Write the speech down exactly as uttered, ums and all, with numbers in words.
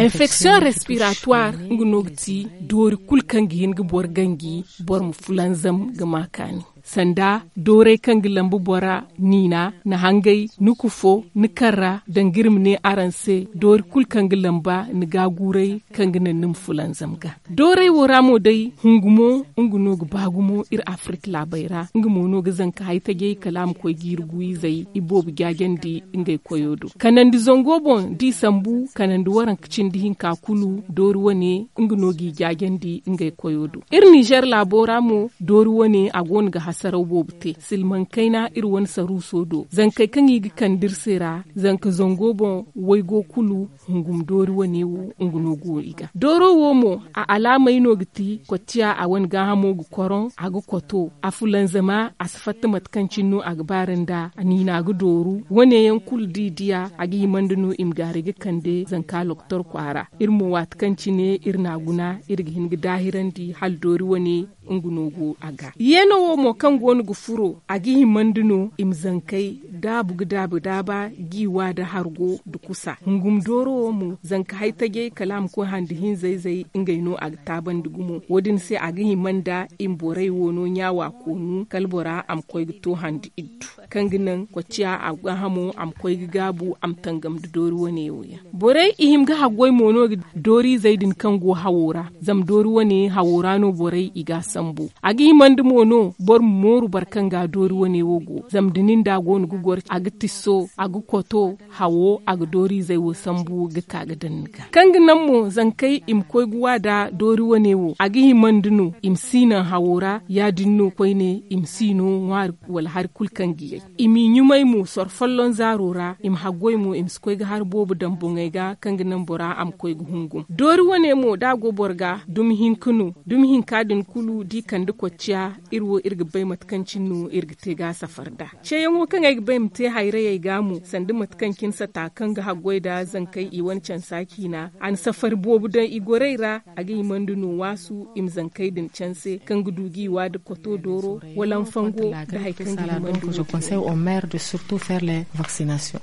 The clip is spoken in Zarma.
Infection respiratoire nga no ga ti doori kulu kaŋ ga hin ga boro ganji, boro ma fulanzam ga ma kaani. Sanda dooray kaŋ ga lambu bora, niina, ni hangay, ni kufo, ni karra, danga iri ma ne araŋ se, doori kulu kaŋ ga lamba ni gaaguuray, kaŋ ga naŋ ni ma fulanzam ga. Dooray wo ra mo day, hungumo nga no ga ba gumo iri afirik laabey ra. Nga mo no ga zanka haytajey kala a ma koy ga iri guwizey iboobo jaajandi ngey koyo do. Kanandi zango boŋ da i sambu kanandi waranka cindi hinka kulu doori wane nga no g'i jaajandi ngey koyo do. Iri ninzeer laabo ra mo, doori wane a go no ga hasaraw boobo te silmaŋ kayna iri wane saruuso do zankey kaŋ i ga kande iri se ra. Zanka zango boŋ waygo kulu hungum doori wane wo nga no go i ga dooro wo mo. A alaamey no ga ti kocciya a wane gaahamo ga koroŋ, a ga koto a fulanzama a si fatta mate kaŋ cine no a ga baara nda niina ga dooru. Wane yaŋ kulu da i diya a ga himandi no i ma gaaray ga kande zanka loktor kwaara. Iri mo waati kaŋ cine iri n'a guna iri ga hin ga daahirandi hala doori wane nga no go a ga. Yeeno wo mo kaŋ go no ga furo a ga himandi no i ma zankey daabu ga daabu daaba, giiwa nda hargo nda kusa hungum dooro wo mo zanka haytajey kala a ma koy handi hinza-izey ngey no a ga taabandi gumo. Wo- din se a ga hima nda i ma borey wo no ɲaawa koonu kala bora a ma koy ga to handi iddu kaŋ ga naŋ kocciya a gaahamo a ma koy ga gaabu a ma tangam nda doori wane wo yaŋ. Borey i hima ga haggoy mo no ga dooriizey din kaŋ go hawo ra. Zama doori wane hawo ra no borey i g'a sambu. A ga himandi mo no boro ma mooru boro kaŋ ga doori wane wo go zama da nin da a go no ga goro a ga tisso a ga koto hawo a ga dooriizey wo sambu ga ka ga daŋ ni ga kaŋ ga naŋ mo zankey i ma koy ga wa nda doori wane wo a ga himandi no i ma si naŋ hawo ra ya- din no koyne i ma si no ŋwaari wala hari kulu kaŋ ga yay. I m'i ɲumay mo soro folloŋ zaaro ra i ma haggoy mo i ma si koy ga hari boobo daŋ boŋey ga kaŋ ga naŋ bora a ma koy ga hungum doori wane mo da a go boro ga dumi hinka no. Dumi hinka din kulu da i kande kocciya iri wo iri ga bay mate kaŋ cine no iri ga te ga a safar nd'a. Ceeyaŋo kaŋ ay ga bay ma te hayrayey ga mo sanda mate kaŋ cine sata kaŋ ga haggoy nda zankey i wane cansa ciina a na safari boobo daŋ i gorey ra. A ga himandi no waasu i ma zankey din canse kaŋ ga du ga i wa nda koto dooro wala nfango nda hari kaŋ ga himandi no. Conseil au maire de surtout faire les vaccinations.